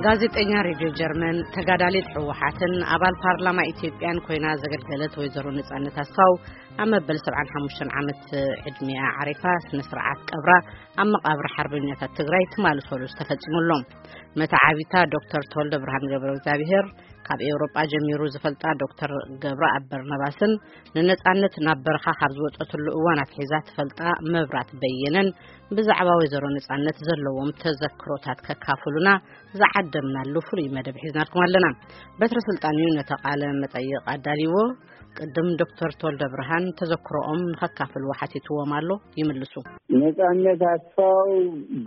ጋዜጠኛ ሬድዮ ጀርመን፣ ተጋዳሊት ህወሓትን ኣባል ፓርላማ ኢትዮጵያን ኮይና ዘገልገለት ወይዘሮ ነጻነት ኣስፋው፣ ኣብ መበል ሰብዓን ሓሙሽተን ዓመት ዕድሚኣ ዓሪፋ፣ ስነ ስርዓት ቀብራ ኣብ መቓብር ሓርበኛታት ትግራይ ትማሊ ሰሉስ ተፈጺሙ ኣሎ። መተዓቢታ ዶክተር ተወልደ ብርሃን ገብረ እግዚኣብሔር፣ ካብ ኤውሮጳ ጀሚሩ ዝፈልጣ ዶክተር ገብረኣብ በርናባስን፣ ንነጻነት ናብ በረኻ ካብ ዝወጸትሉ እዋን ኣትሒዛ ትፈልጣ መብራት በየነን ብዛዕባ ወይዘሮ ነጻነት ዘለዎም ተዘክሮታት ከካፍሉና ዝዓደምናሉ ፍሉይ መደብ ሒዝናልኩም ኣለና። በትረ ስልጣን እዩ ነቲ ቃለ መጠይቕ ኣዳልይዎ። ቅድም ዶክተር ተወልደ ብርሃን ተዘክሮኦም ንኸካፍልዎ ሓቲትዎም ኣሎ። ይምልሱ። ነጻነት ኣስፋው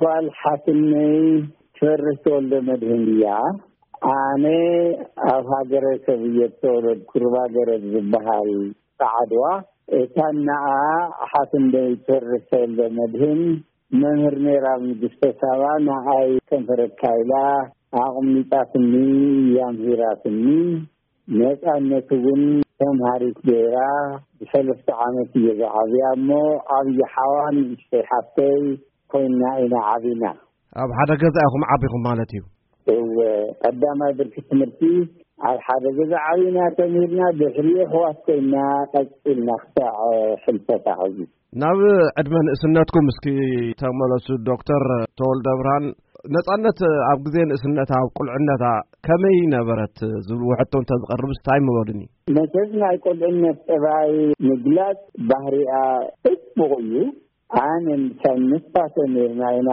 ጓል ሓትነይ ትፈርህ ተወልደ መድህን እያ። ኣነ ኣብ ሃገረ ሰብ እየ ዝተወለድኩ፣ ሩባ ገረብ ዝበሃል ጻዕድዋ። እታ እናኣ ሓትነይ ትፈርህ ተወልደ መድህን መምህር ነይራ ኣብ ንግስተ ሳባ። ንኣይ ከንፈረካ ኢላ ኣቕሚጣትኒ፣ ኣምሂራትኒ። ነጻነት እውን ተምሃሪት ገይራ ብሰለስተ ዓመት እየ ዝዓብያ እሞ፣ ዓብዪ ሓዋ ንእሽተይ ሓፍተይ ኮይና ኢና ዓቢና። ኣብ ሓደ ገዛ ኢኹም ዓቢኹም ማለት እዩ? እወ፣ ቀዳማይ ብርኪ ትምህርቲ ኣብ ሓደ ገዛ ዓቢና ተምሂርና፣ ድሕሪኡ ኣሕዋት ኮይና ቀጺልና ክሳዕ ሕልፈታ ሕዚ። ናብ ዕድመ ንእስነትኩም እስኪ ተመለሱ ዶክተር ተወልደ ብርሃን። ነጻነት ኣብ ግዜ ንእስነታ፣ ኣብ ቁልዕነታ ከመይ ነበረት ዝብል ሕቶ እንተዝቐርብስ እንታይ ምበሉኒ? መቸስ ናይ ቁልዕነት ጠባይ ምግላጽ ባህሪኣ ጽቡቕ እዩ። ኣነ ምሳን ንሳ ተሜርና ኢና።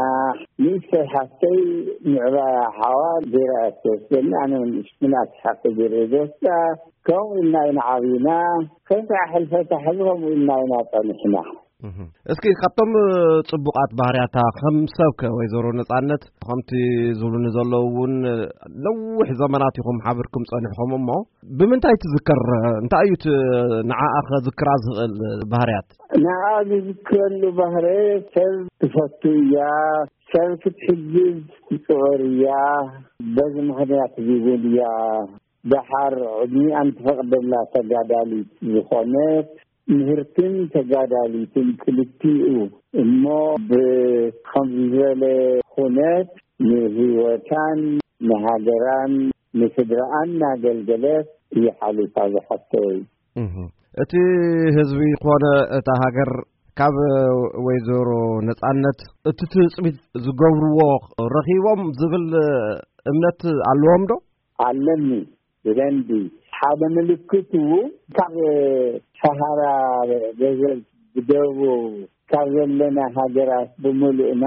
ንእሽተይ ሓፍተይ ምዕባያ ሓዋ ገይራ እያ ትወስደኒ። ኣነ ንእሽ-፣ ንእሽተይ ሓፍተይ ገይረ ዝወስዳ። ከምኡ ኢልና ኢና ዓብና። ከንታ ሕልፈታ ሕዚ ከምኡ ኢልና ኢና ጸኒሕና። እህ። እስኪ ካብቶም ጽቡቓት ባህርያታ ከም ሰብከ ወይዘሮ ነጻነት ከምቲ ዝብሉኒ ዘለዉ እውን ነዊሕ ዘመናት ኢኹም ሓቢርኩም ጸኒሕኩም እሞ ብምንታይ ትዝከር? እንታይ እዩ እቲ ንዓኣ ከዝክራ ዝኽእል ባህርያት? ንዓ ዝዝክረሉ ባህረ ሰብ ትፈቱ እያ፣ ሰብ ክትሕግዝ ትጽዕር እያ። በዚ ምኽንያት እዚ እውን እያ ደሓር ዕድሚኣን ትፈቕደላ ተጋዳሊት ዝኾነት ምህርትን ተጋዳሊትን ክልቲኡ እሞ ብኸምዚ ዝበለ ኩነት ንህይወታን ንሃገራን ንስድራኣን እናገልገለት እያ ሓሊፋ ዝሓፍተይ። እህ። እቲ ህዝቢ ኮነ እታ ሃገር ካብ ወይዘሮ ነጻነት እቲ ትጽቢት ዝገብርዎ ረኺቦም ዝብል እምነት ኣለዎም ዶ? ኣለኒ። ብደንቢ ሓደ ምልክቱ ካብ ሰሃራ ገዘብ ብደቡብ ካብ ዘለና ሃገራት ብምሉእና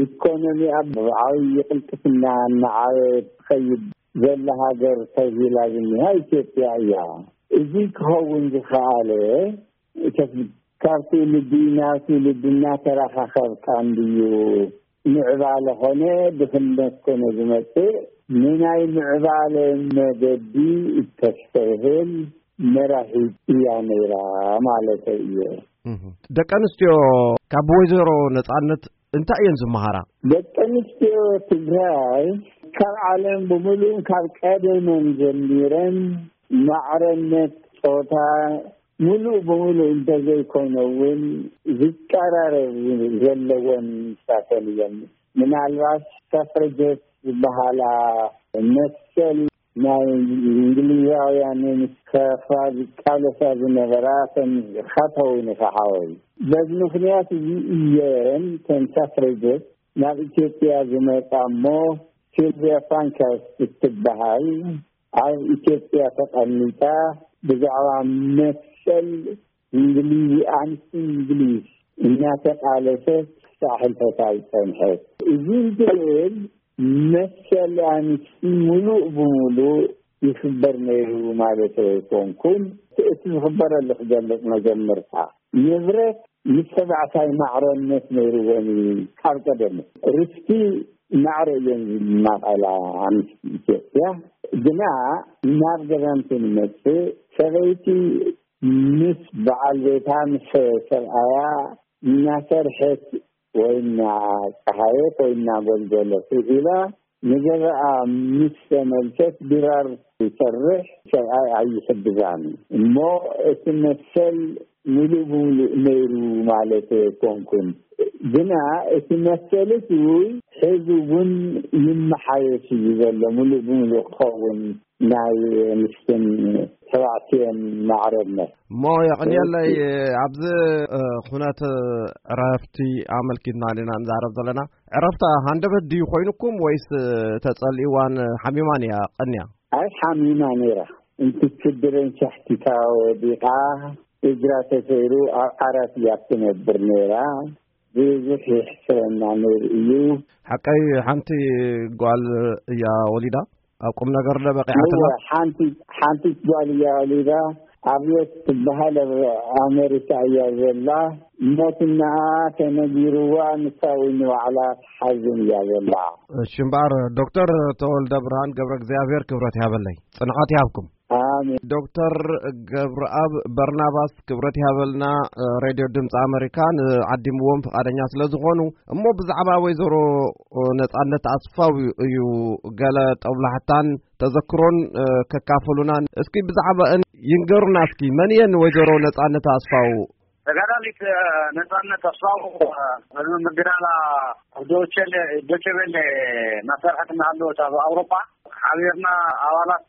ኢኮኖሚኣ ብዓብዪ ቅልጥፍና እናዓበ ትኸይድ ዘላ ሃገር ተብሂላ ዝኒሃ ኢትዮጵያ እያ። እዚ ክኸውን ዝኸኣለ እተስ-፣ ካብ ትውልዲ ናብ ትውልዲ እናተራኻኸብካ እንድዩ ምዕባለ ኾነ ድኽነት ኮነ ዝመጽእ፣ ንናይ ምዕባለ መገዲ እተስተብህል መራሒት እያ ነይራ ማለተይ እየ። እህ። ደቂ ኣንስትዮ ካብ ወይዘሮ ነጻነት እንታይ እየን ዝመሃራ? ደቂ ኣንስትዮ ትግራይ ካብ ዓለም ብምሉእን ካብ ቀደመን ጀሚረን ማዕረነት ጾታ ምሉእ ብምሉእ እንተዘይኮነ እውን ዝቀራረብ ዘለወን ንሳተን እየን። ምናልባት ሰፍረጀት ዝበሃላ መሰል ናይ እንግሊዛውያን ንምስካፋ ዝቃለሳ ዝነበራ ተን ኢኻ ትኸውን ኢኻ ሓወይ። በዚ ምኽንያት እዚ እየን ተን ሰፍረጀት ናብ ኢትዮጵያ ዝመጻ እሞ ሲልቪያ ፓንከርስት እትበሃል ኣብ ኢትዮጵያ ተቐሚጣ ብዛዕባ መሰል እንግሊዝ፣ ኣንስቲ እንግሊዝ እናተቃለሰት ክሳዕ ሕልፈታ ዝጸንሐት። እዚ እንትብል መሰል ኣንስቲ ምሉእ ብምሉእ ይኽበር ነይሩ ማለት ኣይኮንኩን። እቲ ዝኽበረሉ ክገልጽ መጀመርታ። ንብረት ምስ ተባዕታይ ማዕረነት ነይርወን እዩ። ካብ ቀደም ርስቲ ማዕረ እየን ዝማቐላ ኣንስቲ ኢትዮጵያ። ግና ናብ ገዳም ክንመጽእ ሰበይቲ ምስ በዓል ቤታ ምስ ሰብኣያ እናሰርሐት ወይ እናፀሃየት ወይ እናጎልጎለት ውዒላ ንገዛኣ ምስ ተመልሰት ድራር ይሰርሕ ሰብኣይ ኣይሕግዛን እሞ እቲ መሰል ሙሉእ ብሙሉእ ነይሩ ማለት ኣይኮንኩን። ግና እቲ መሰል እቲ ሕዚ እውን ይመሓየሽ እዩ ዘሎ፣ ምሉእ ብምሉእ ክኸውን ናይ ኣንስትን ተባዕትዮን ማዕረነት። እሞ የቕንየለይ፣ ኣብዚ ኩነት ዕረፍቲ ኣመልኪትና ኢና ንዛረብ ዘለና። ዕረፍታ ሃንደበት ድዩ ኮይኑኩም ወይስ ተጸሊእዋን ሓሚማን እያ ቀንያ? ኣይ ሓሚማ ነይራ። እንትትድረን ሻሕቲታ ወዲቓ እግራ ተሰይሩ ኣብ ዓራት እያ ትነብር ነይራ። ብዙሕ የሕስረና ነይሩ እዩ። ሓቀይ ሓንቲ ጓል እያ ወሊዳ ኣብ ቁም ነገር ዶ በቂዓትላ? እወ፣ ሓንቲ ሓንቲ ጓል እያ ወሊዳ። ኣብዮት ትበሃል ኣብ ኣሜሪካ እያ ዘላ። ሞትናኣ ተነጊርዋ፣ ንሳ እውን ንባዕላ ትሓዝን እያ ዘላ። እሺ እምበኣር ዶክተር ተወልደ ብርሃን ገብረ እግዚኣብሔር ክብረት ይሃበለይ፣ ጽንዓት ይሃብኩም። ኣሜን። ዶክተር ገብረኣብ በርናባስ ክብረት ይሃበልና፣ ሬድዮ ድምፂ ኣሜሪካ ንዓዲምዎም ፍቓደኛ ስለ ዝኾኑ። እሞ ብዛዕባ ወይዘሮ ነጻነት ኣስፋው እዩ ገለ ጠብላሕታን ተዘክሮን ከካፍሉና። እስኪ ብዛዕባእን ይንገሩና እስኪ። መን እየን ወይዘሮ ነጻነት ኣስፋው? ተጋዳሊት ነጻነት ኣስፋው፣ ቅድሚ ምግዳላ ኣብ ዶቸለ-፣ ዶቸቤለ እናሰርሐት እናሃለወት ኣብ ኣውሮፓ ሓቢርና ኣባላት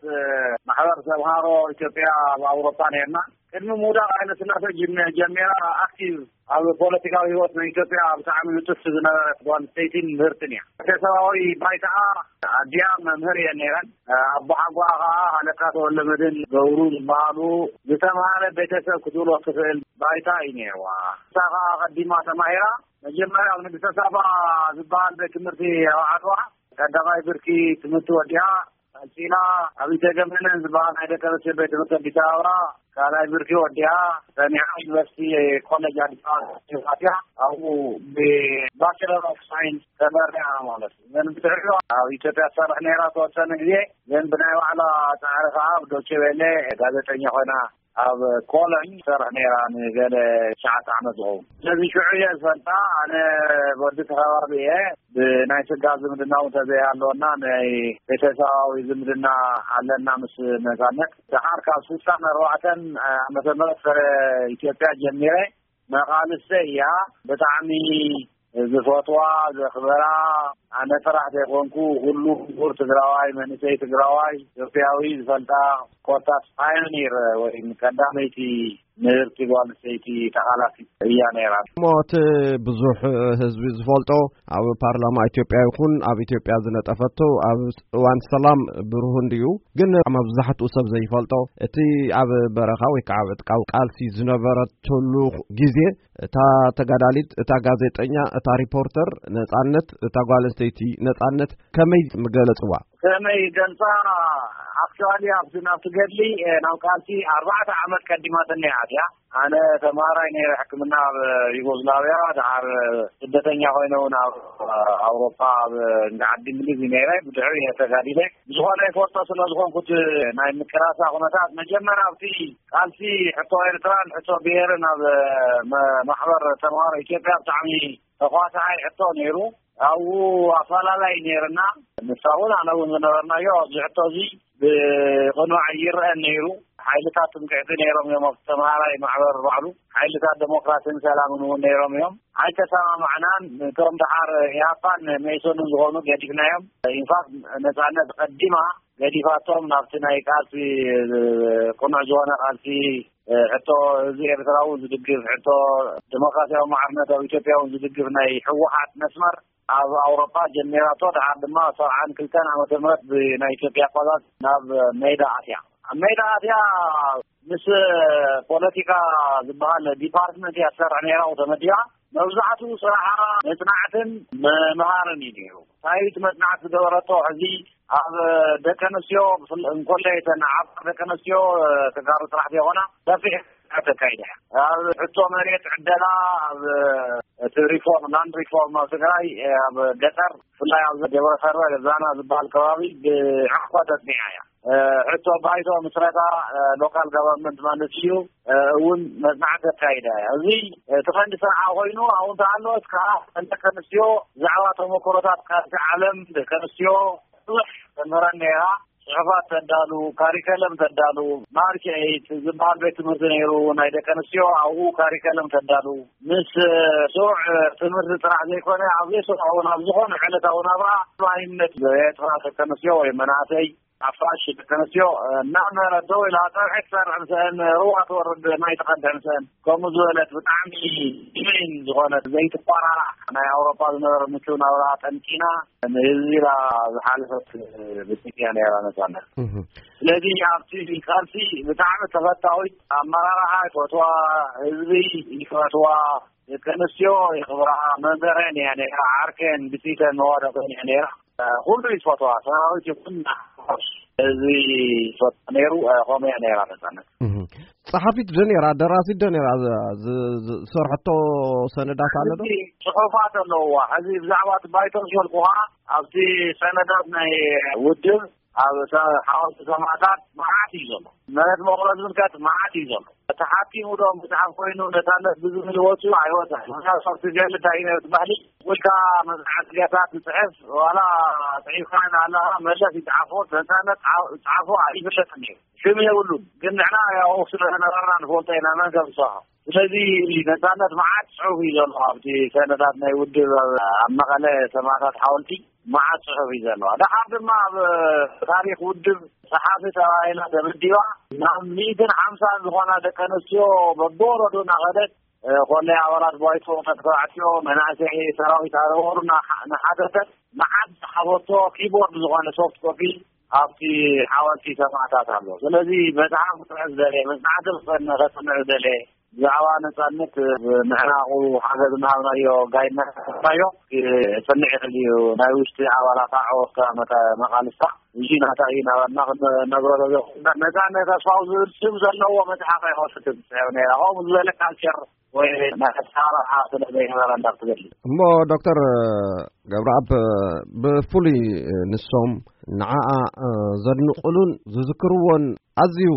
ማሕበር ተምሃሮ ኢትዮጵያ ኣብ ኣውሮፓ ነርና። ቅድሚ ምውዳቕ ሃይለ ስላሴ ጅም-፣ ጀሚራ ኣክቲቭ ኣብ ፖለቲካዊ ህይወት ናይ ኢትዮጵያ ብጣዕሚ ንጥፍቲ ዝነበረት ጓል ኣንስተይቲን ምህርትን እያ። ቤተሰባዊ ባይታኣ ኣዲኣ መምህር እየን ነይረን። ኣቦሓጓኣ ከዓ ሃለቃ ተወልደመድህን ገብሩ ዝበሃሉ ዝተምሃረ ቤተሰብ ክትውሎ ትኽእል ባይታ እዩ ነይርዋ። ንሳ ከዓ ቀዲማ ተማሂራ መጀመርያ ኣብ ንግስተ ሳባ ዝበሃል ቤት ትምህርቲ ኣብ ዓድዋ ቀዳማይ ብርኪ ትምህርቲ ወዲኣ፣ ቀጺላ ኣብ ኢተገመነን ዝበሃል ናይ ደቂ ኣንስትዮ ቤት ትምህርቲ ኣዲስ ኣበባ ካልኣይ ብርኪ ወዲኣ፣ ጸኒሓ ዩኒቨርሲቲ ኮሌጅ ኣዲስ ኣበባ ኣትያ፣ ኣብኡ ብባችለር ኦፍ ሳይንስ ተመሪዓ ማለት እዩ። ዘን ብድሕሪኡ ኣብ ኢትዮጵያ ትሰርሕ ነይራ ተወሰነ ግዜ፣ ግን ብናይ ባዕላ ጻዕሪ ከኣ ኣብ ዶቼ ቬለ ጋዜጠኛ ኮይና ኣብ ኮሎኝ ትሰርሕ ነይራ ንገለ ትሽዓተ ዓመት ዝኸውን። ስለዚ ሽዑ እየ ዝፈልጣ፣ ኣነ ወዲ እቲ ከባቢ እየ። ብናይ ስጋ ዝምድና እውን ተዘይሃለወና ናይ ቤተሰባዊ ዝምድና ኣለና ምስ ነጻነት። ደሓር ካብ ስሳን ኣርባዕተን ዓመተ ምህረት ፍረ ኢትዮጵያ ጀሚረ መቓልሰ እያ። ብጣዕሚ ዝፈትዋ፣ ዘኽብራ፣ ኣነ ጥራሕ ዘይኮንኩ ኩሉ ምሁር ትግራዋይ፣ መንእሰይ ትግራዋይ፣ ኢትዮጵያዊ ዝፈልጣ ኮታስ ፓዮኒር ወይ ቀዳመይቲ ምህርቲ ጓል ኣንስተይቲ ተቓላሲት እያ ነይራ። እሞ እቲ ብዙሕ ህዝቢ ዝፈልጦ ኣብ ፓርላማ ኢትዮጵያ ይኹን ኣብ ኢትዮጵያ ዝነጠፈቶ ኣብ እዋን ሰላም ብሩህ እንድዩ፣ ግን መብዛሕትኡ ሰብ ዘይፈልጦ እቲ ኣብ በረኻ ወይ ከዓ ኣብ ዕጥቃዊ ቃልሲ ዝነበረትሉ ግዜ እታ ተጋዳሊት፣ እታ ጋዜጠኛ፣ እታ ሪፖርተር ነጻነት፣ እታ ጓል ኣንስተይቲ ነጻነት ከመይ ምገለጽዋ? ከመይ ገልጻ? ኣክቹዋሊ ኣብዚ ናብቲ ገድሊ፣ እ፣ ናብ ቃልሲ ኣርባዕተ ዓመት ቀዲማትኒ እያ ኣትያ። ኣነ ተምሃራይ ነይረ ሕክምና ኣብ ዩጎዝላቪያ፣ ደሓር ስደተኛ ኮይነ እውን ኣብ ኣውሮፓ ኣብ እንዳ ዓዲ እንግሊዝ እዩ ነይረ። ብድሕሪ እየ ተጋዲለ። ብዝኾነ ይፈልጦ ስለ ዝኾንኩት ናይ ምቅላሳ ኩነታት መጀመርያ ኣብቲ ቃልሲ ሕቶ ኤርትራን ሕቶ ብሄርን ኣብ መ-፣ ማሕበር ተምሃሮ ኢትዮጵያ ብጣዕሚ ተኳሳዓይ ሕቶ ነይሩ። ኣብኡ ኣፈላላይ ነይርና። ንሳ እውን ኣነ እውን ዝነበርናዮ ኣብዚ ሕቶ እዚ ብቕኑዕ ይረአን ነይሩ። ሓይልታት ትምክሕቲ ነይሮም እዮም ኣብቲ ተምሃራይ ማሕበር ባዕሉ። ሓይልታት ዴሞክራሲን ሰላምን እውን ነይሮም እዮም። ኣይተሰማማዕናን። እቶም ደሓር ኢህኣፓን መኢሶንን ዝኾኑ ገዲፍናዮም። ኢንፋክት ነጻነት ቀዲማ ገዲፋቶም ናብቲ ናይ ቃልሲ ቅኑዕ ዝኾነ ቃልሲ ሕቶ ህዝቢ ኤርትራ እውን ዝድግፍ፣ ሕቶ ዴሞክራሲያዊ ማዕርነት ኣብ ኢትዮጵያ እውን ዝድግፍ ናይ ህወሓት መስመር ኣብ ኣውሮፓ ጀሚራቶ፣ ደሓር ድማ ሰብዓን ክልተን ዓመተ ምህረት ብናይ ኢትዮጵያ ኣቆጻጽራ ናብ ሜዳ ኣትያ። ኣብ ሜዳ ኣትያ ምስ ፖለቲካ ዝበሃል ዲፓርትመንት እያ ትሰርሕ ነይራ፣ ተመዲባ። መብዛሕትኡ ስራሓ መጽናዕትን ምምሃርን እዩ ነይሩ። እንታይ እቲ መጽናዕቲ ዝገበረቶ፣ ሕዚ ኣብ ደቂ ኣንስትዮ ብፍል-፣ እንኮላይ እተን ዓፋር ደቂ ኣንስትዮ፣ እ፣ ተጋሩ ጥራሕ ዘይኮና፣ ሰፊሕ መጽናዕቲ ኣካይዳ እያ። ኣብ ሕቶ መሬት ዕደላ፣ ኣብ እቲ ሪፎርም፣ ላንድ ሪፎርም ኣብ ትግራይ፣ እ፣ ኣብ ገጠር፣ ብፍላይ ኣብ ገብረ ከርበ ገዛና ዝበሃል ከባቢ ብዕቕባ ተጽኒዓ እያ። እ፣ ሕቶ ባይቶ ምስረታ፣ እ፣ ሎካል ጋቨርንመንት ማለት እዩ፣ እ፣ እውን መጽናዕቲ ኣካይዳ እያ። እዚ፣ እ፣ እቲ ቀንዲ ስርዓ ኮይኑ፣ ኣብኡ እንተሃለወት ከዓ ደቂ ኣንስትዮ ብዛዕባ ተመክሮታት ካልሲ ዓለም ደቂ ኣንስትዮ ብዙሕ ተምህረን ነይራ። ጽሑፋት ተዳሉ፣ ካሪከለም ተዳሉ፣ ማርች ኤይት ዝበሃል ቤት ትምህርቲ ነይሩ ናይ ደቂ ኣንስትዮ፣ ኣብኡ ካሪከለም ተዳሉ። ምስ ስሩዕ ትምህርቲ ጥራሕ ዘይኮነ፣ ኣብ ዘይስሩዕ እውን ኣብ ዝኾነ ዕለታዊ ናብራ ማይነት ኤርትራ ደቂ ኣንስትዮ ወይ መናእሰይ ኣፋሽ ደቂ ኣንስትዮ እናመረ ደው ኢላ ጸብሒ ትሰርሕ፣ ምስአን ሩባ ትወርድ፣ ማይ ትቐድሕ ምስአን፣ ከምኡ ዝበለት ብጣዕሚ ዲሜን ዝኾነት ዘይትቆራራዕ ናይ ኣውሮፓ ዝነበረ ምቹው ናብራ ጠንቂና ንህዝቢ ኢላ ዝሓለፈት ብጽያ ነይራ ነጻነት። ስለዚ ኣብቲ ቃልሲ ብጣዕሚ ተፈታዊት፣ ኣመራርሓ ይፈትዋ፣ ህዝቢ ይፈትዋ፣ ደቂ ኣንስትዮ ይኽብራ፣ መምህረን እያ ነይራ፣ ዓርከን ብጽይተን መዋደቕን እያ ነይራ። ኩሉ እዩ ዝፈትዋ፣ ሰራዊት ይኹን እዚ ይፈትዋ ነይሩ። ከምኡ እያ ነይራ ነጻነት። ጸሓፊት ዶ ነይራ? ደራሲት ዶ ነይራ? ዝሰርሐቶ ሰነዳት ኣሎ ዶ? ጽሑፋት ኣለውዋ። ሕዚ ብዛዕባ እቲ ባይቶ ዝፈልኩኻ ኣብቲ ሰነዳት ናይ ውድብ ኣብ ሓወልቲ ሰማእታት መዓት እዩ ዘሎ። መሬት መቑሎ ዝምልከት መዓት እዩ ዘሎ። ተሓኪሙ ዶ መጽሓፍ ኮይኑ ነጻነት ብዝብል ወፂኡ ኣይወፀን። ምክንያቱ ኣብቲ ገለ እንታይ እዩ ነቲ ባህሊ ውልካ መጽሓፍ ገታት ትፅሕፍ ዋላ ፅሒፍካ ኣለኻ መለስ ይፅሓፎ ነጻነት ፃ- ፃፎ ኣይፍለጥን እዩ። ሽም የብሉን። ግን ንሕና ያው ስለ ዝነበርና ንፈልጦ ኢና መን ከም ዝሰርሖ። ስለዚ ነጻነት መዓት ፅሑፍ እዩ ዘሎ ኣብቲ ሰነዳት ናይ ውድብ ኣብ መቐለ ሰማእታት ሓወልቲ መዓት ፅሑፍ እዩ ዘለዋ። ደሓር ድማ ኣብ ታሪክ ውድብ ጸሓፊ ተባሂላ ተመዲባ ናብ ሚእትን ሓምሳን ዝኾና ደቂ ኣንስትዮ በብወረዱ እናኸደት ኮለይ ኣባላት ባይቶ ተባዕትዮ መናእሰይ ሰራዊት ኣረወሩ እናሓተተት መዓት ዝሓበቶ ኪቦርድ ዝኾነ ሶፍት ኮፒ ኣብቲ ሓወልቲ ሰማእታት ኣሎ። ስለዚ መጽሓፍ ክጽሕፍ ዝደለየ መጽናዕቲ ክጸንዕ ከጽንዕ ዝደለየ ብዛዕባ ነጻነት ምዕናቑ ሓገዝ እናሃብናዮ ጋይድና ናዮ ክጽንዕ ይኽእል እዩ። ናይ ውሽጢ ኣባላት ኣዕወካ መቃልስታ እዚ ናታ እዩ ናባና ክነግሮ ተዘ ነጻነት ኣስፋው ዝብል ስም ዘለዎ መጽሓፍ ኣይኸፍትም። ነራ ከምኡ ዝበለ ካልቸር ወይ ናይ ኣሰራርሓ ስለ ዘይነበረ እንዳትገድል። እሞ ዶክተር ገብረኣብ ብፍሉይ ንሶም ንዓኣ ዘድንቁሉን ዝዝክርዎን ኣዝዩ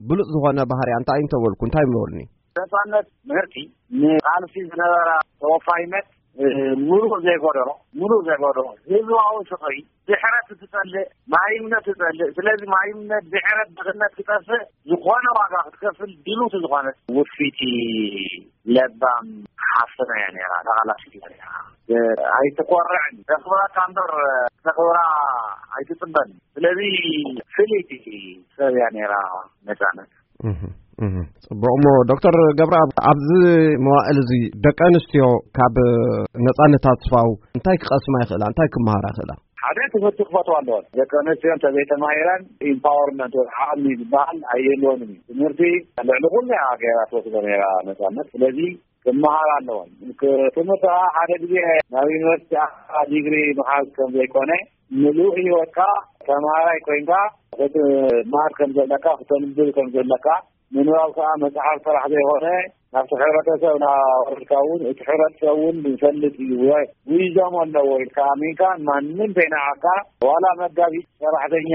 ብሉጽ ዝኾነ ባህሪያ እንታይ እንተበልኩ እንታይ ምበሉኒ? ነጻነት ምህርቲ ንቃልሲ ዝነበራ ተወፋይነት ሙሉእ ዘይጎደሎ ሙሉእ ዘይጎደሎ ህዝባዊ ፍቕሪ ድሕረት ትጸልእ ማይምነት ትጸልእ። ስለዚ ማይምነት ድሕረት ድኽነት ክጠፍእ ዝኾነ ዋጋ ክትከፍል ድሉት ዝኾነት ውፊቲ ለባም ሓፍትና እያ ነራ። ተቓላሲት እያ ነራ። ኣይትኮርዕን። ተኽብረካ እምበር ተኽብራ ኣይትጽበን። ስለዚ ፍልይቲ ሰብ እያ ነራ ነጻነት። ጽቡቕ። እሞ ዶክተር ገብረኣብ ኣብዚ መዋእል እዚ ደቂ ኣንስትዮ ካብ ነጻነት ኣስፋው እንታይ ክቐስማ ይኽእላ? እንታይ ክመሃራ ይኽእላ? ሓደ ትምህርቲ ክፈትዋ ኣለወን። ደቂ ኣንስትዮ እንተዘይተማሂረን ኢምፓወርመንት ወይ ዓቕሚ ዝበሃል ኣይህልወንን እዩ። ትምህርቲ ልዕሊ ኩሉ እያ ገይራ ትወስዶ ነይራ ነጻነት። ስለዚ ክመሃራ ኣለወን። ትምህርቲ ከዓ ሓደ ግዜ ናብ ዩኒቨርሲቲ ዲግሪ ምሓዝ ከም ዘይኮነ ምሉእ ህይወትካ ተምሃራይ ኮይንካ ክትመሃር ከም ዘለካ ክተንብብ ከም ዘለካ ምንባብ ከዓ መፅሓፍ ጥራሕ ዘይኮነ ናብቲ ሕብረተሰብ ናወረድካ እውን እቲ ሕብረተሰብ እውን ይፈልጥ እዩ። ዊዞም ኣለዎ ኢልካ ኣሚንካ ማንም ዘይነዓካ ዋላ መጋቢት ሰራሕተኛ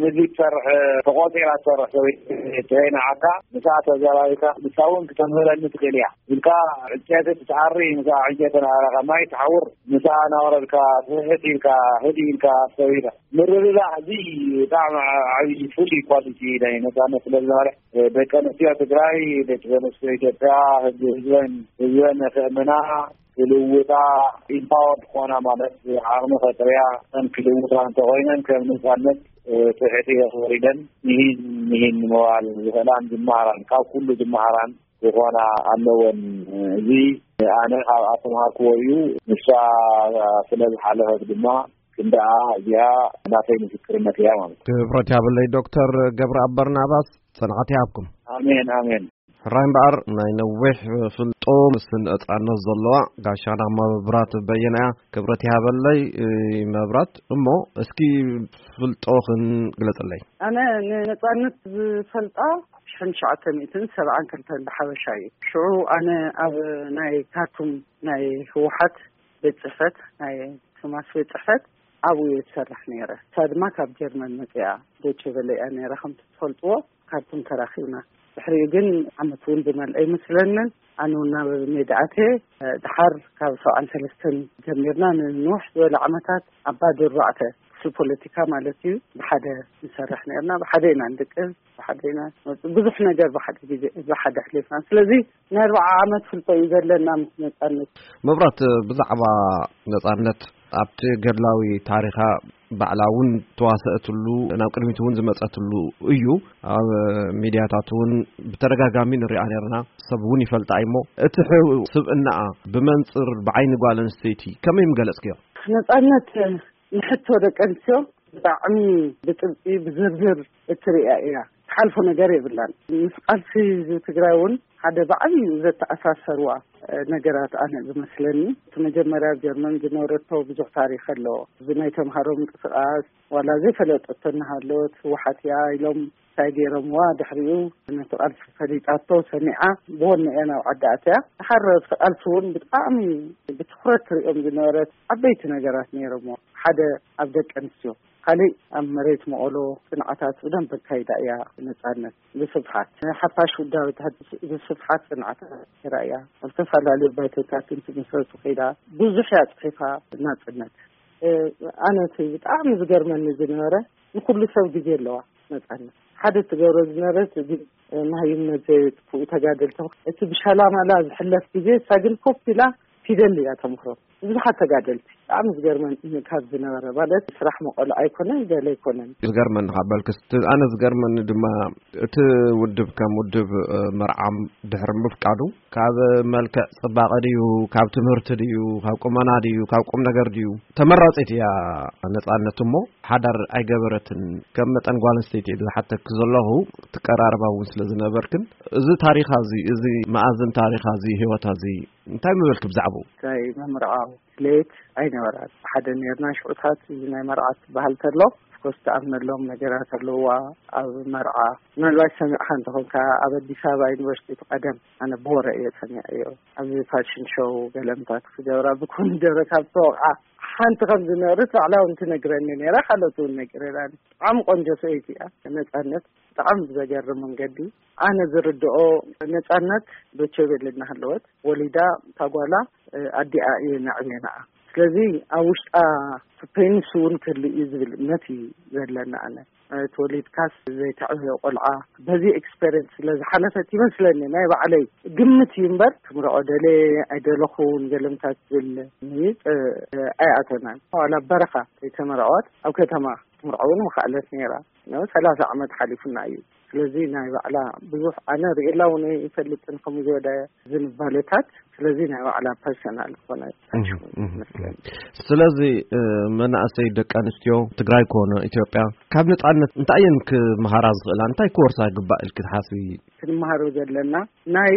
ምግቢ ትሰርሕ ተቆፂራ ትሰርሕ ሰበይቲ ዘይነዓካ ምስኣ ተዘራሪብካ ንሳ እውን ክተምህረኒ ትኽእል እያ ኢልካ ዕንጨይቲ ትትኣሪ ምስኣ ዕንጨይቲ ነኣረኻ ማይ ትሓውር ምስኣ ናወረድካ ትሕት ኢልካ ህድ ኢልካ ኣስተውዒልካ ምርድዳእ እዚ ብጣዕሚ ዓብዪ ፍሉይ ኳሊቲ ናይ ነፃነት ስለ ዝነበረ ደቂ ኣንስትዮ ትግራይ ደቂ ኣንስትዮ ኢትዮጵያ ህዝበን ህዝበን ክእምና ክልውጣ ኢምፓወርድ ክኾና ማለት ዓቕሚ ከጥርያ ክልውጣ እንተኮይነን ከም ነፃነት ትሕቲ የኽብር ኢለን ንሂን ንሂን ንምባል ዝኽእላን ዝመሃራን ካብ ኩሉ ዝመሃራን ክኾና ኣለወን። እዚ ኣነ ካብ ኣስተምሃርክዎ እዩ። ንሳ ስለ ዝሓለፈት ድማ ክንደኣ እዚኣ ናተይ ምስክርነት እያ ማለት እዩ። ክብረት ያብለይ ዶክተር ገብረኣብ በርናባስ፣ ጽንዓት ይሃብኩም። ኣሜን ኣሜን። ሕራይ እምበኣር ናይ ነዊሕ ፍልጦ ምስ ነጻነት ዘለዋ ጋሻና መብራት በየነ እያ። ክብረት ይሃበለይ መብራት። እሞ እስኪ ፍልጦኽን ግለጽለይ። ኣነ ንነጻነት ዝፈልጣ ሽሕን ትሽዓተ ሚእትን ሰብዓን ክልተን ብሓበሻ እዩ። ሽዑ ኣነ ኣብ ናይ ካርቱም ናይ ህወሓት ቤት ጽሕፈት ናይ ቶማስ ቤት ጽሕፈት ኣብኡ እየ ዝሰርሕ ነይረ። እሳ ድማ ካብ ጀርመን መጺኣ ዶቼ ቬለ እያ ነይራ ከምቲ ትፈልጥዎ። ካርቱም ተራኺብና። ድሕሪኡ ግን ዓመት እውን ዝመልአ ኣይመስለንን። ኣነ እውን ናብ ሜዳ ኣትየ። ድሓር ካብ ሰብዓን ሰለስተን ጀሚርና ንንውሕ ዝበለ ዓመታት ኣብ ባዶ ኣርባዕተ እቲ ፖለቲካ ማለት እዩ። ብሓደ ንሰርሕ ነርና፣ ብሓደ ኢና ንድቅስ፣ ብሓደ ኢና ንወፅእ። ብዙሕ ነገር ብሓደ ግዜ ብሓደ ኣሕሊፍና። ስለዚ ናይ ኣርባዓ ዓመት ፍልጦ እዩ ዘለና ምስ ነፃነት። መብራት፣ ብዛዕባ ነፃነት ኣብቲ ገድላዊ ታሪኻ ባዕላ እውን ተዋሰእትሉ፣ ናብ ቅድሚት እውን ዝመፀትሉ እዩ። ኣብ ሚድያታት እውን ብተደጋጋሚ ንሪኣ ነርና፣ ሰብ እውን ይፈልጣ እሞ፣ እቲ ሕ- ስብእናኣ ብመንፅር ብዓይኒ ጓል ኣንስተይቲ ከመይ ምገለፅክዮ? ነፃነት ንሕቶ ደቂ ኣንስትዮ ብጣዕሚ ብጥብቂ ብዝርዝር እትሪኣ እያ። ትሓልፎ ነገር የብላን። ምስ ቃልሲ ህዝቢ ትግራይ እውን ሓደ ብዓብዩ ዘተኣሳሰርዋ ነገራት ኣነ ዝመስለኒ፣ እቲ መጀመርያ ኣብ ጀርመን ዝነበረቶ ብዙሕ ታሪክ ኣሎ። እዚ ናይ ተምሃሮ ምንቅስቃስ ዋላ ዘይፈለጠቶ እናሃለወት ህወሓት እያ ኢሎም እንታይ ገይሮምዋ፣ ድሕሪኡ ነቲ ቃልሲ ፈሊጣቶ ሰሚዓ ብወነ እያ ናብ ዓዲ ኣትያ። ድሓር ኣብቲ ቃልሲ እውን ብጣዕሚ ብትኩረት ትሪኦም ዝነበረት ዓበይቲ ነገራት ነይሮምዎ። ሓደ ኣብ ደቂ ኣንስትዮ፣ ካሊእ ኣብ መሬት መቐሎ ፅንዓታት ብደንብ ኣካይዳ እያ። ነፃነት ብስፍሓት ሓፋሽ ውዳበታት ብስፍሓት ፅንዓታት ነይራ እያ። ኣብ ዝተፈላለዩ ባይቶታት እንትምስረቱ ከይዳ ብዙሕ እያ ፅሒፋ። ናፅነት ኣነ እቲ ብጣዕሚ ዝገርመኒ ዝነበረ ንኩሉ ሰብ ግዜ ኣለዋ። ነፃነት ሓደ ትገብሮ ዝነበረት ግን መሃይምነት ዘይጥፍኡ ተጋደልቲ እቲ ብሻላማላ ዝሕለፍ ግዜ እሳ ግን ኮፍ ኢላ ፊደል እያ ተምክሮ። ብዙሓት ተጋደልቲ ብጣዕሚ ዝገርመን ካብ ዝነበረ ማለት ስራሕ መቐሎ ኣይኮነን ገለ ኣይኮነን። ዝገርመኒ ካብ በልክስ፣ ኣነ ዝገርመኒ ድማ እቲ ውድብ ከም ውድብ መርዓም ድሕሪ ምፍቃዱ ካብ መልክዕ ፅባቐ ድዩ፣ ካብ ትምህርቲ ድዩ፣ ካብ ቁመና ድዩ፣ ካብ ቁም ነገር ድዩ? ተመራፂት እያ ነፃነት እሞ ሓዳር ኣይገበረትን። ከም መጠን ጓል ኣንስተይቲ ዝሓተክ ዘለኹ ትቀራረባ እውን ስለ ዝነበርክን፣ እዚ ታሪኻ እዚ፣ እዚ መኣዝን ታሪኻ እዚ፣ ህይወታ እዚ እንታይ ምበልክ ብዛዕባኡ? እንታይ ምምርዓው ድሌት ኣይነበራን። ሓደ ነርና ሽዑታት እዚ ናይ መርዓ ትበሃል ተሎ ኮስ ትኣምነሎም ነገራት ኣለዋ። ኣብ መርዓ ምናልባት ሰሚዕካ እንተኾንካ ኣብ ኣዲስ ኣበባ ዩኒቨርሲቲ እቲ ቀደም ኣነ ብወረ እየ ሰሚዐዮ። ኣብዚ ፋሽን ሾው ገለምታት ክገብራ ብኮሚደረ ካብ ዝተወቕዓ ሓንቲ ከም ዝነበረት ባዕላ እውን ትነግረኒ ነይራ። ካልኦት እውን ነጊረናኒ። ብጣዕሚ ቆንጆ ሰበይቲ እያ ነፃነት። ብጣዕሚ ብዘገርም መንገዲ ኣነ ዝርድኦ ነፃነት ዶቼ ቬለ እናሃለወት ወሊዳ እታ ጓላ ኣዲኣ እየ ነዕብየናኣ። ስለዚ ኣብ ውሽጣ ፔንስ እውን ክህሉ እዩ ዝብል እምነት እዩ ዘለኒ። ኣነ ተወሊድካስ ዘይተዕብዮ ቆልዓ በዚ ኤክስፔሪንስ ስለ ዝሓለፈት ይመስለኒ፣ ናይ ባዕለይ ግምት እዩ እምበር፣ ክምርዖ ደለ ኣይደለኹን ገለምታት ዝብል ምይጥ ኣይኣተናን። ዋላ በረኻ ዘይተመርዐወት ኣብ ከተማ ክትምርዖ እውን ምኽኣለት ነይራ። ሰላሳ ዓመት ሓሊፉና እዩ። ስለዚ ናይ ባዕላ ብዙሕ ኣነ ርእየላ እውን ኣይፈልጥን ከምኡ ዝበለ ዝንባለታት። ስለዚ ናይ ባዕላ ፐርሰናል ዝኾነ መስለኒ። ስለዚ መናእሰይ ደቂ ኣንስትዮ ትግራይ ኮነ ኢትዮጵያ ካብ ነፃነት እንታይ እየን ክመሃራ ዝኽእላ? እንታይ ክወርሳ ይግባእ ኢልኪ ትሓስቢ? ክንመሃሮ ዘለና ናይ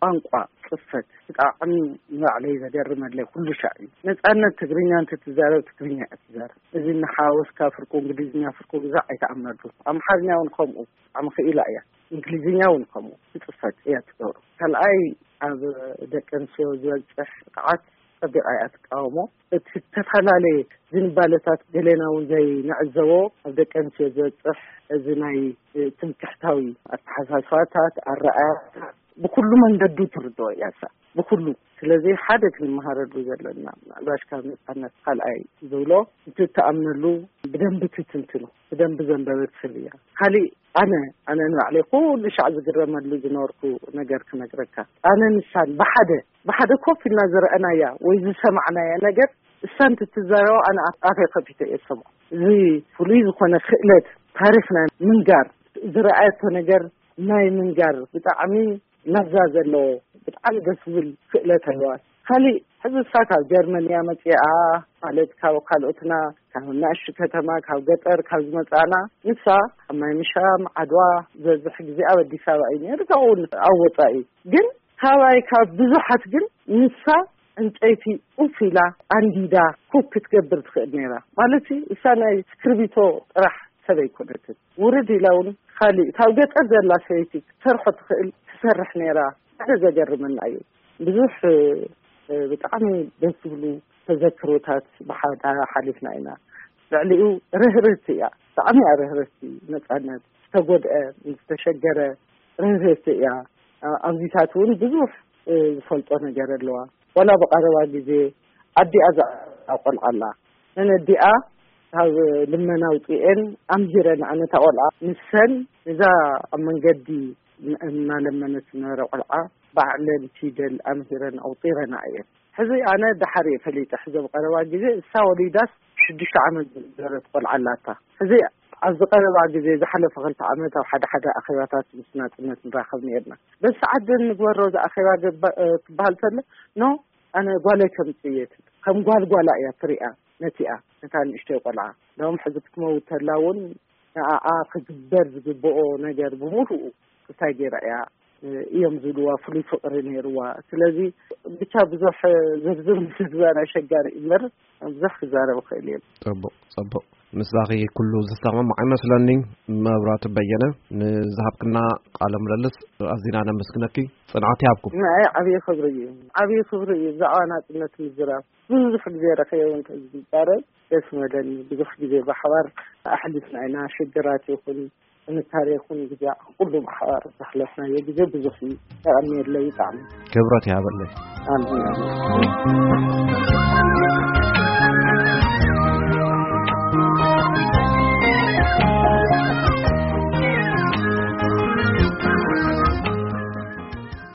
ቋንቋ ጽፈት ብጣዕሚ ንባዕለይ ዘገርመለይ ኩሉ ሻዕ እዩ። ነፃነት ትግርኛ እንትትዛረብ ትግርኛ እያ ትዛረብ። እዚ እናሓወስካ ፍርቁ እንግሊዝኛ ፍርቁ ግዛዕ ኣይተኣምነሉ። ኣምሓርኛ እውን ከምኡ ብጣዕሚ ክኢላ እያ። እንግሊዝኛ እውን ከምኡ ትፅፈት እያ ትገብሮ። ካልኣይ ኣብ ደቂ ኣንስትዮ ዝበፅሕ ጥቕዓት ፀቢቓ እያ ትቃወሞ። እቲ ዝተፈላለየ ዝንባለታት ገሌና እውን ዘይንዕዘቦ ኣብ ደቂ ኣንስትዮ ዝበፅሕ እዚ ናይ ትምክሕታዊ ኣተሓሳስባታት ኣረኣያታት ብኩሉ መንገዱ ትርድኦ እያ እሳ ብኩሉ። ስለዚ ሓደ ክንመሃረሉ ዘለና ምናልባሽ ካብ ነፃነት ካልኣይ ዝብሎ እቲ እትኣምነሉ ብደንቢ ትትንትኖ ብደንቢ ዘንበበት ሰብ እያ። ካሊእ ኣነ ኣነ ንባዕለይ ኩሉ ሻዕ ዝግረመሉ ዝነበርኩ ነገር ክነግረካ። ኣነ ንሳን ብሓደ ብሓደ ኮፍ ኢልና ዝረኣናያ ወይ ዝሰማዕናያ ነገር እሳ እንትትዛረቦ ኣነ ኣፍ- ኣፈይ ከፊተ እየ ዝሰምዖ። እዚ ፍሉይ ዝኾነ ክእለት ታሪኽና ምንጋር ዝረኣየቶ ነገር ናይ ምንጋር ብጣዕሚ መዛ ዘለዎ ብጣዕሚ ደስ ዝብል ክእለት ኣለዋ። ካሊእ ሕዚ እሳ ካብ ጀርመን እያ መፂኣ ማለት ካብ ካልኦትና ካብ ናእሽቱ ከተማ ካብ ገጠር ካብ ዝመፃና ንሳ ኣብ ማይ ምሻም ዓድዋ ዝበዝሕ ግዜ ኣብ ኣዲስ ኣበባ እዩ ነይሩ ካብኡ እውን ኣብ ወፃኢ ግን ካባይ ካብ ብዙሓት ግን ንሳ ዕንፀይቲ ኡፍ ኢላ ኣንዲዳ ኮክ ክትገብር ትኽእል ነይራ ማለት እዩ። እሳ ናይ ስክርቢቶ ጥራሕ ሰብ ኣይኮነትን። ውርድ ኢላ እውን ካሊእ ካብ ገጠር ዘላ ሰበይቲ ክትሰርሖ ትኽእል ትሰርሕ ነይራ። ሓደ ዘገርመና እዩ። ብዙሕ ብጣዕሚ ደስ ዝብሉ ተዘክሮታት ብሓዳ ሓሊፍና ኢና። ልዕሊኡ ርህርህቲ እያ። ብጣዕሚ እያ ርህርህቲ። ነፃነት ዝተጎድአ ዝተሸገረ ርህርህቲ እያ። ኣብዚታት እውን ብዙሕ ዝፈልጦ ነገር ኣለዋ። ዋላ ብቐረባ ግዜ ኣዲኣ ዘዕበያ ቆልዓ ኣላ። ነነዲኣ ካብ ልመና ኣውፅኤን ኣምሂረን፣ ኣነታ ቆልዓ ንሰን እዛ ኣብ መንገዲ እናለመነት ዝነበረ ቆልዓ ባዕለን ፊደል ኣምሂረን ኣውፂረና እየን። ሕዚ ኣነ ደሓር እየ ፈሊጠ። ሕዚ ኣብ ቀረባ ግዜ እሳ ወሊዳስ ሽዱሽተ ዓመት ዝነበረት ቆልዓ ኣላታ። ሕዚ ኣብዚ ቀረባ ግዜ ዝሓለፈ ክልተ ዓመት ኣብ ሓደ ሓደ ኣኼባታት ምስ ናጽነት ንራኸብ ነርና። በዚ ሰዓት ግን ንግበሮ እዚ ኣኼባ ግባ- እ፣ ክበሃል ከሎ ኖ ኣነ ጓለይ ከምጽእ እየ ትብል። ከም ጓል ጓላ እያ ትሪኣ ነቲኣ ነታ ንእሽተይ ቆልዓ። እንደውም ሕዚ ክትመውት ተላ እውን ንኣኣ ክግበር ዝግብኦ ነገር ብምሉኡ እንታይ ገይራ እያ እዮም ዝብልዋ ፍሉይ ፍቕሪ ነይርዋ። ስለዚ ብቻ ብዙሕ ዝርዝር ምዝዛን ኣሸጋሪ እዩ እምበር ብዙሕ ክዛረብ እኽእል እየ። ጽቡቕ ጽቡቕ። ምሳኺ ኩሉ ዝሰማማዕ ይመስለኒ። መብራቱ በየነ፣ ንዝሃብክና ቃለ ምልልስ ኣዚና ነመስግነኪ። ጽንዓት ይሃብኩም። ንዓይ ዓብዪ ክብሪ እዩ፣ ዓብዪ ክብሪ እዩ ብዛዕባ ናጽነት ምዝራብ። ብዙሕ ግዜ ረኺበ እውን ከዝዛረብ ደስ መለኒ። ብዙሕ ግዜ ብሓባር ኣሕሊፍና ኢና። ሽግራት ይኹን ጥንካሬ ይኹን ግዜ ኩሉ ብሓባር ዘሕለፍናዮ ግዜ ብዙሕ እዩ። የቐንየለይ ብጣዕሚ። ክብረት ይሃበለይ። ኣሜን።